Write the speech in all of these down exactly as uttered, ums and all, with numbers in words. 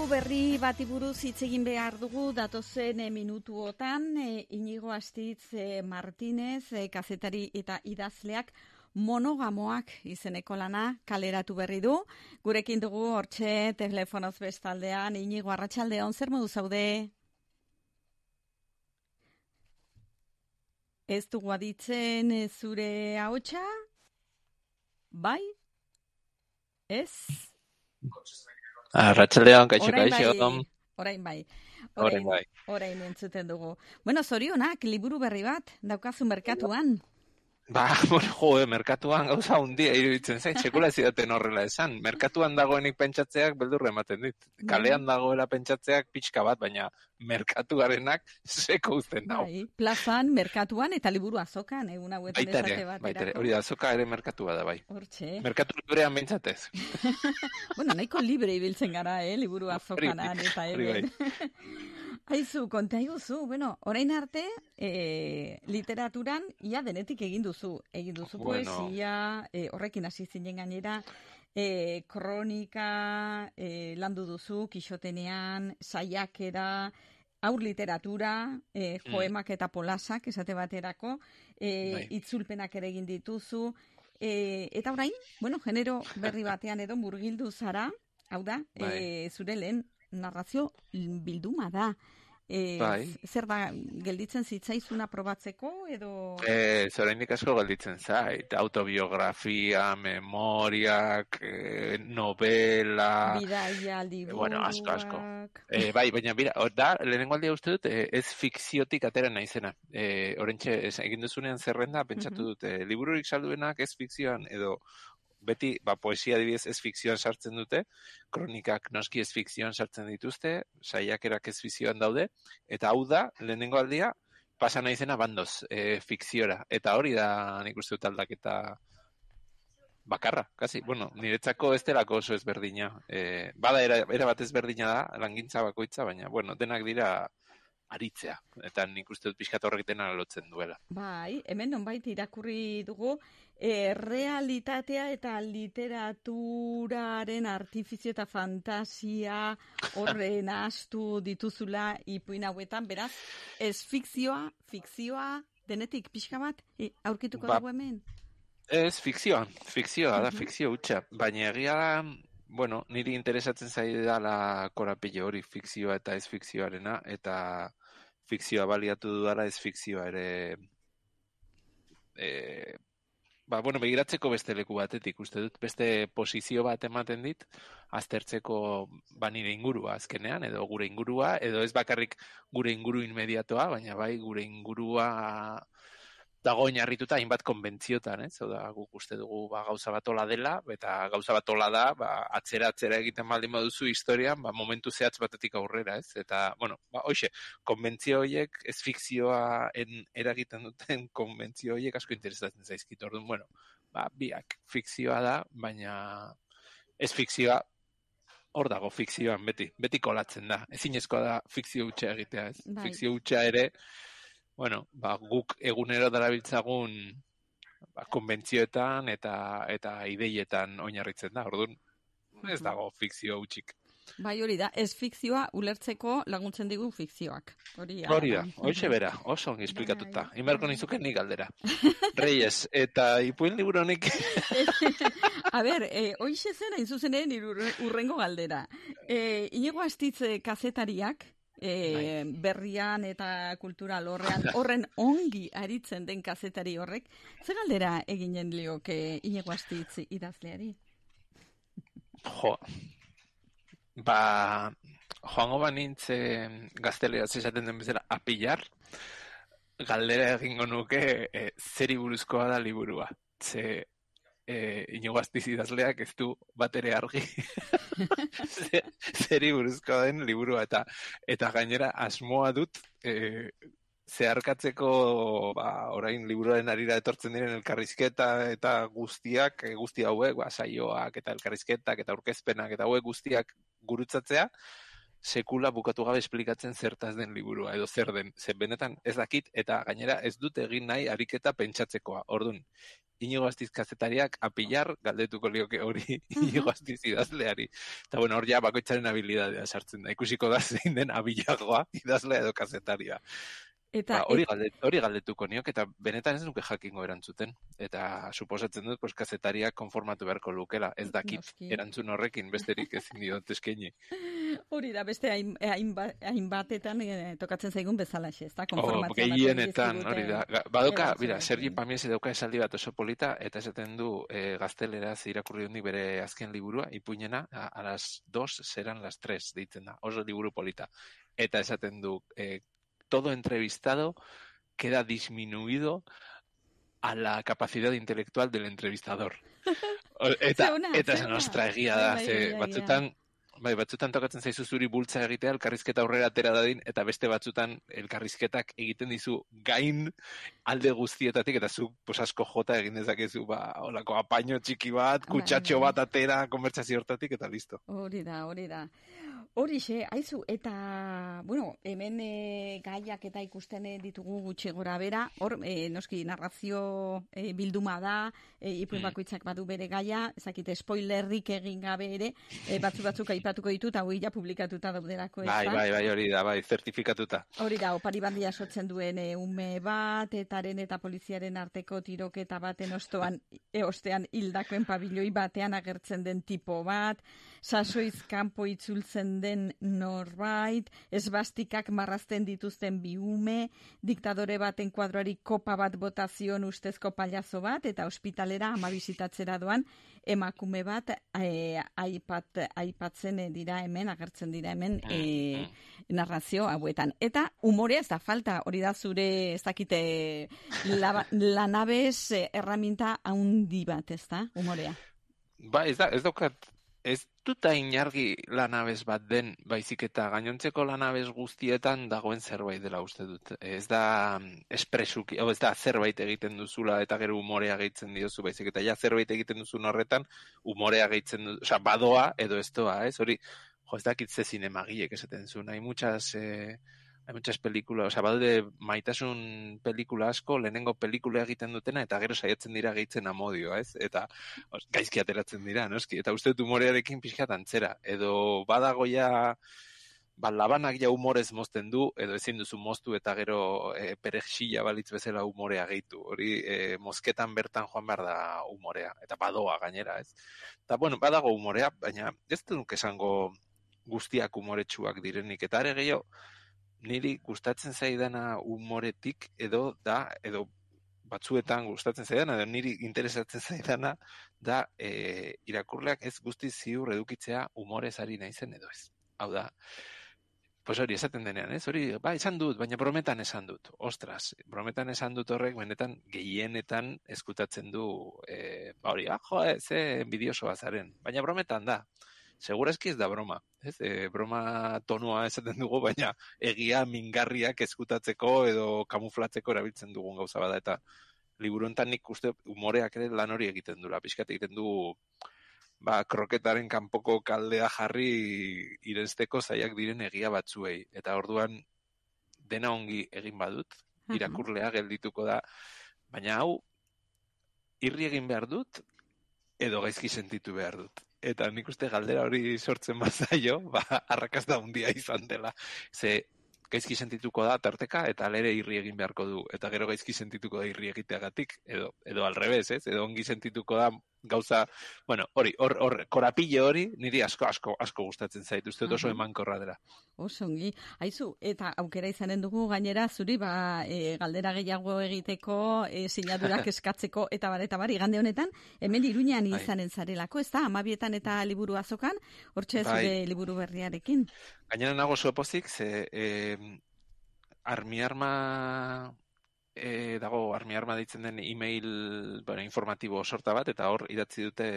liburu berri bati buruz hitz egin behar dugu datozen e, minutuotan e, Inigo Astitz e, Martinez e, kazetari eta idazleak monogamoak izeneko lana kaleratu berri du. Gurekin dugu hortxe telefonoz bestaldean. Inigo, arratsaldeon, zer modu zaude? Ez dugu aditzen e, zure ahotsa? Bai? Ez? Arratsaldeon, kaixo, Orain kaixo. bai, orain bai. Orain bai. Orain entzuten dugu. Bueno, zorionak, liburu berri bat, daukazu merkatuan. Ba, bueno, joe, merkatuan gauza hundia iruditzen zain, sekula ez zidaten horrela esan. Merkatuan dagoenik pentsatzeak beldurra ematen dit. Kalean dagoela pentsatzeak pixka bat, baina merkatuarenak seko uzten dago. Bai, plazan, merkatuan eta liburu azokan, egun hauetan esate baterako. Baitere, hori da, azoka ere merkatua da, bai. Hortxe. Merkatu librean bentsatez. Bueno, nahiko libre ibiltzen gara, eh, liburu azokanan eta hemen. Aizu, konta iguzu, bueno, orain arte, e, literaturan ia denetik egin duzu. Egin duzu Bueno. poesia, e, horrekin hasi zinen gainera, e, kronika, e, landu duzu, Kixotenean, saiakera, aur literatura, e, poemak eta polasak, esate baterako, e, Bai. itzulpenak ere egin dituzu, e, eta orain, bueno, genero berri batean edo murgildu zara, hau da, Bai. e, zure lehen narrazio bilduma da. E, Bai. Zer da, gelditzen zitzaizuna probatzeko edo... Eh, oraindik asko gelditzen zait, autobiografia, memoriak, eh, novela, Bidaia, liburuak... bueno, asko, asko. Eh, bai, baina bira, hor da, lehenengo aldia uste dut, eh, ez fikziotik atera naizena. Eh, orentxe, ez, egin duzunean zerrenda, pentsatu dut, eh, libururik salduenak ez fikzioan, edo beti, ba, poesia adibidez ez fikzioan sartzen dute, kronikak noski ez fikzioan sartzen dituzte, saiakerak ez fikzioan daude, eta hau da, lehenengo aldia, pasa naizena bandoz, e, fikziora. Eta hori da nik uste dut aldaketa bakarra, kasi. Bueno, niretzako ez delako oso ezberdina. E, bada era, era bat ezberdina da, langintza bakoitza, baina, bueno, denak dira aritzea. Eta nik uste dut pixkat horrek dena lotzen duela. Bai, hemen nonbait irakurri dugu, e, realitatea eta literaturaren artifizio eta fantasia horren astu dituzula ipuin hauetan, beraz, ez fikzioa, fikzioa, denetik pixka bat, e, aurkituko Ba, dugu hemen? Ez, fikzioa, fikzioa da, fikzio hutsa. Baina egia da, bueno, niri interesatzen zaidala korapilo hori, fikzioa eta ez fikzioarena, eta fikzioa baliatu dudala ez fikzioa ere, e, ba, bueno, begiratzeko beste leku batetik, uste dut, beste posizio bat ematen dit, aztertzeko ba nire ingurua azkenean, edo gure ingurua, edo ez bakarrik gure inguru inmediatoa, baina bai gure ingurua dago oinarrituta hainbat konbentziotan, ez? Oda, guk uste dugu ba, gauza bat ola dela, eta gauza bat ola da, ba, atzera atzera egiten baldin baduzu historian, ba, momentu zehatz batetik aurrera, ez? Eta, bueno, ba, hoxe, konbentzio horiek, ez fikzioa en, eragiten duten konbentzio horiek asko interesatzen zaizkit. Orduan, bueno, ba, biak fikzioa da, baina ez fikzioa hor dago fikzioan beti, beti kolatzen da. Ezinezkoa da fikzio hutsa egitea, ez? Bai. Fikzio hutsa ere, bueno, ba, guk egunero darabiltzagun ba, konbentzioetan eta eta ideietan oinarritzen da. Orduan, ez dago fikzio hutsik. Bai, hori da, ez fikzioa ulertzeko laguntzen digu fikzioak. Hori Hori da, hoxe bera, oso ongi esplikatuta. Inberko nizuken nik galdera. Reyes, eta ipuin liburu honek... A ber, eh, hoxe zen hain zuzenen urrengo galdera. Eh, Inigo Astitz kazetariak, E, berrian eta kultura lorrean horren ongi aritzen den kazetari horrek, ze galdera eginen lioke Inigo Astitz idazleari? Jo, ba, joango banintz gazteleraz esaten den bezala apillar, galdera egingo nuke e, zeri buruzkoa da liburua. Ze E, Inigo Astitz idazleak ez du bat ere argi zeri buruzkoa den liburua eta eta gainera asmoa dut e, zeharkatzeko ba, orain liburuaren arira etortzen diren elkarrizketa eta guztiak, e, guzti hauek, ba, saioak eta elkarrizketak eta aurkezpenak eta hauek guztiak gurutzatzea, sekula bukatu gabe esplikatzen zertaz den liburua, edo zer den, zer benetan ez dakit, eta gainera ez dut egin nahi ariketa pentsatzekoa. Orduan, Inigo Astiz kazetariak apilar galdetuko lioke hori Inigo Astiz idazleari. Eta bueno, hor ja bakoitzaren habilidadea sartzen da. Ikusiko da zein den abilagoa idazlea edo kazetaria. Eta, ba, hori, et... galdet, hori galdetuko niok, eta benetan ez nuke jakingo erantzuten. Eta suposatzen dut, pues, kazetariak konformatu beharko lukela. Ez dakit Noski. Erantzun horrekin besterik ezin diot eskaini. Hori da, beste hainbatetan hain eh, tokatzen zaigun bezalaxe, ez da? Oh, gehienetan, hori da. Badoka, bira, Sergi Pamiese dauka esaldi bat oso polita, eta esaten du eh, gazteleraz irakurri dunik bere azken liburua, ipuñena, a, a las dos serán las tres, deitzen da, oso liburu polita. Eta esaten du, eh, todo entrevistado queda disminuido a la capacidad intelectual del entrevistador. Eta, eta zen ostra egia da, ze batzutan, bai, batzutan tokatzen zaizu zuri bultza egitea, elkarrizketa aurrera atera dadin, eta beste batzutan elkarrizketak egiten dizu gain alde guztietatik, eta zu pues, asko jota egin dezakezu, ba, olako apaino txiki bat, kutsatxo bat atera, konbertsazio hortatik, eta listo. Hori da, hori da. Horixe, haizu, eta, bueno, hemen e, gaiak eta ikusten ditugu gutxi gora bera, hor, e, noski, narrazio e, bilduma da, e, ipuin bakoitzak badu bere gaia, ezakite, spoilerrik egin gabe ere, e, batzu batzuk aipatuko ditut, hau ja publikatuta dauderako, ez da? Bai, bai, bai, hori da, bai, zertifikatuta. Hori da, opari bandia sotzen duen e, ume bat, etaren eta poliziaren arteko tiroketa baten ostoan, e, ostean hildakoen pabiloi batean agertzen den tipo bat, sasoiz kanpo itzultzen den norbait, esbastikak marrazten dituzten bi ume, diktadore baten kuadroari kopa bat botazion ustezko pailazo bat, eta ospitalera ama bisitatzera doan emakume bat e, aipat, aipatzen dira hemen, agertzen dira hemen e, narrazio hauetan. Eta umorea ez da falta, hori da zure ez dakite la, lanabez erraminta haundi bat, ez da, umorea? Ba, ez da, ez daukat Ez duta inargi lanabez bat den, baizik eta gainontzeko lanabez guztietan dagoen zerbait dela uste dut. Ez da espresuki, ez da zerbait egiten duzula eta gero umorea gehitzen diozu, baizik eta ja zerbait egiten duzun horretan, umorea gehitzen duzu, osea, badoa edo ez doa, ez? Hori, jo, ez dakit ze zinemagiek esaten zuen, hai muchas... Eh, Hay muchas películas, o sea, badaude maitasun pelikula asko, lehenengo pelikula egiten dutena, eta gero saiatzen dira gehitzen amodioa, ez? Eta os, gaizki ateratzen dira, noski? Eta uste dut humorearekin pixkat antzera. Edo badago ja, ba, labanak ja humorez mozten du, edo ezin duzu moztu eta gero e, perexila balitz bezala humorea gehitu. Hori e, mozketan bertan joan behar da humorea, eta badoa gainera, ez? Eta, bueno, badago humorea, baina ez duk esango guztiak humoretsuak direnik, eta are gehiago, niri gustatzen zaidana humoretik edo da, edo batzuetan gustatzen zaidana, edo niri interesatzen zaidana da e, irakurleak ez guztiz ziur edukitzea humorez ari naizen edo ez. Hau da, pues hori esaten denean, ez? Hori, ba, esan dut, baina brometan esan dut. Ostras, brometan esan dut horrek, benetan gehienetan eskutatzen du, e, ba hori, ah, jo, ze enbidiosoa zaren, baina brometan da. Segurazki ez da broma, ez? E, broma tonua esaten dugu, baina egia mingarriak eskutatzeko edo kamuflatzeko erabiltzen dugun gauza bada, eta liburu hontan nik uste umoreak ere lan hori egiten dula, pixkat egiten du ba, kroketaren kanpoko kaldea jarri irensteko zaiak diren egia batzuei, eta orduan dena ongi egin badut, irakurlea geldituko da, baina hau irri egin behar dut, edo gaizki sentitu behar dut. Eta nik uste galdera hori sortzen bazaio, ba, arrakasta handia izan dela. Ze gaizki sentituko da tarteka, eta alere irri egin beharko du. Eta gero gaizki sentituko da irri egiteagatik, edo, edo alrebez, ez? Edo ongi sentituko da gauza, bueno, hori, hor, hor, korapile hori, niri asko, asko, asko gustatzen zait, uste oso emankorra dela. Oso ongi, haizu, eta aukera izanen dugu gainera zuri, ba, e, galdera gehiago egiteko, e, sinadurak eskatzeko, eta bar, eta bar, igande honetan, hemen Iruñean izanen zarelako, ez da, amabietan eta liburu azokan, hortxe zure liburu berriarekin. Gainera nago zuepozik, ze, e, armiarma... E, dago armi arma deitzen den email bueno, informatibo sorta bat, eta hor idatzi dute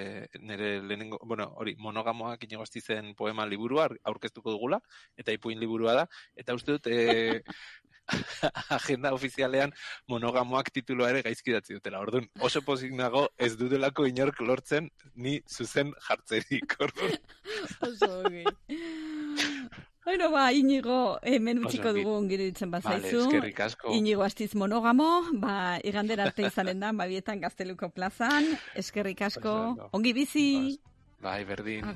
nire lehenengo, bueno, hori, monogamoak Inigo Astizen poema liburua aurkeztuko dugula, eta ipuin liburua da, eta uste dut e, agenda ofizialean monogamoak titulua ere gaizki idatzi dutela. Orduan, oso pozik nago ez dutelako inork lortzen ni zuzen jartzerik. Orduan. Oso, okay. Bueno, ba, Inigo, hemen utziko dugu ongiro ditzen bazaizu. Vale, eskerrik asko. Inigo Astiz monogamo, ba, igandera arte izanen da, babietan Gazteluko plazan. Eskerrik asko, ongi bizi. Bai, berdin.